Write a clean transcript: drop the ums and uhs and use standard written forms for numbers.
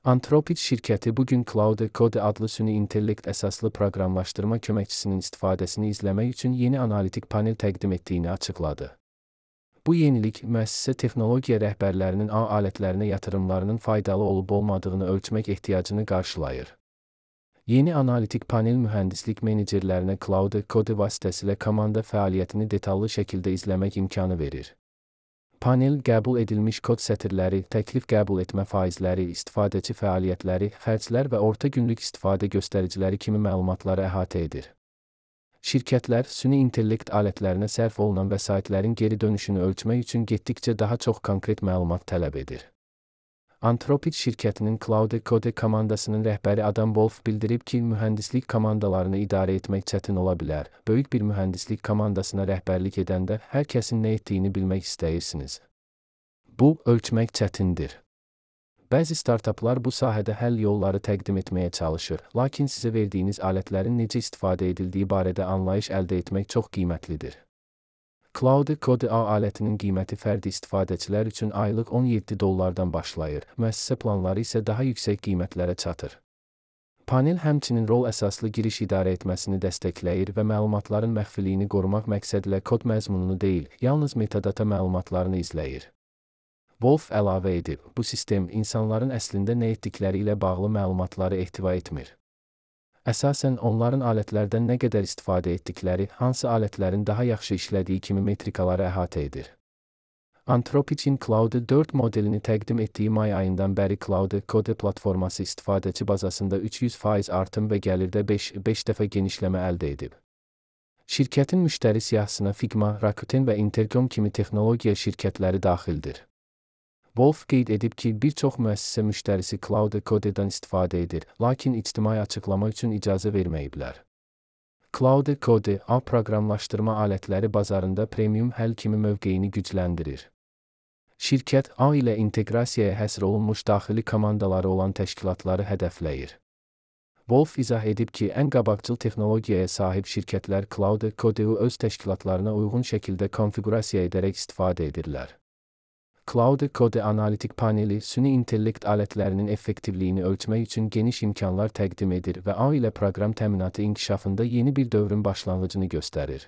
Anthropic şirkəti bugün Claude Code adlı süni intellekt əsaslı proqramlaşdırma köməkçisinin istifadəsini izləmək üçün yeni analitik panel təqdim etdiyini açıqladı. Bu yenilik, müəssisə texnologiya rəhbərlərinin ağ alətlərinə yatırımlarının faydalı olub-olmadığını ölçmək ehtiyacını qarşılayır. Yeni analitik panel mühəndislik menecerlərinə Claude Code vasitəsilə komanda fəaliyyətini detallı şəkildə izləmək imkanı verir. Panel, qəbul edilmiş kod sətirləri, təklif qəbul etmə faizləri, istifadəçi fəaliyyətləri, xərclər və orta günlük istifadə göstəriciləri kimi məlumatları əhatə edir. Şirkətlər, süni intellekt alətlərinə sərf olunan vəsaitlərin geri dönüşünü ölçmək üçün getdikcə daha çox konkret məlumat tələb edir. Anthropic şirkətinin Claude Code komandasının rəhbəri Adam Wolf bildirib ki, mühəndislik komandalarını idarə etmək çətin ola bilər. Böyük bir mühəndislik komandasına rəhbərlik edəndə hər kəsin nə etdiyini bilmək istəyirsiniz. Bu, ölçmək çətindir. Bəzi startaplar bu sahədə həll yolları təqdim etməyə çalışır, lakin sizə verdiyiniz alətlərin necə istifadə edildiyi barədə anlayış əldə etmək çox qiymətlidir. Claude Code A alətinin qiyməti fərdi istifadəçilər üçün aylıq $17 başlayır, müəssisə planları isə daha yüksək qiymətlərə çatır. Panel həmçinin rol əsaslı giriş idarə etməsini dəstəkləyir və məlumatların məxfiliyini qorumaq məqsədilə kod məzmununu deyil, yalnız metadata məlumatlarını izləyir. Wolf əlavə edib, bu sistem insanların əslində nə etdikləri ilə bağlı məlumatları ehtiva etmir. Əsasən onların alətlərdən nə qədər istifadə etdikləri, hansı alətlərin daha yaxşı işlədiyi kimi metrikaları əhatə edir. Anthropic'in Claude 4 modelini təqdim etdiyi may ayından bəri Claude Code platforması istifadəçi bazasında 300% artım və gəlirdə 5 dəfə genişləmə əldə edib. Şirkətin müştəri siyahısına Figma, Rakuten və Intercom kimi texnologiya şirkətləri daxildir. Wolf qeyd edib ki, bir çox müəssisə müştərisi Claude Code'dan istifadə edir, lakin ictimai açıqlama üçün icazə verməyiblər. Claude Code, A proqramlaşdırma alətləri bazarında premium həll kimi mövqeyini gücləndirir. Şirkət, A ilə inteqrasiyaya həsr olunmuş daxili komandaları olan təşkilatları hədəfləyir. Wolf izah edib ki, ən qabaqcıl texnologiyaya sahib şirkətlər Claude Code'u öz təşkilatlarına uyğun şəkildə konfiqurasiya edərək istifadə edirlər. Claude Code analitik paneli, süni intellekt alətlərinin effektivliyini ölçmək üçün geniş imkanlar təqdim edir və A ilə proqram təminatı inkişafında yeni bir dövrün başlanğıcını göstərir.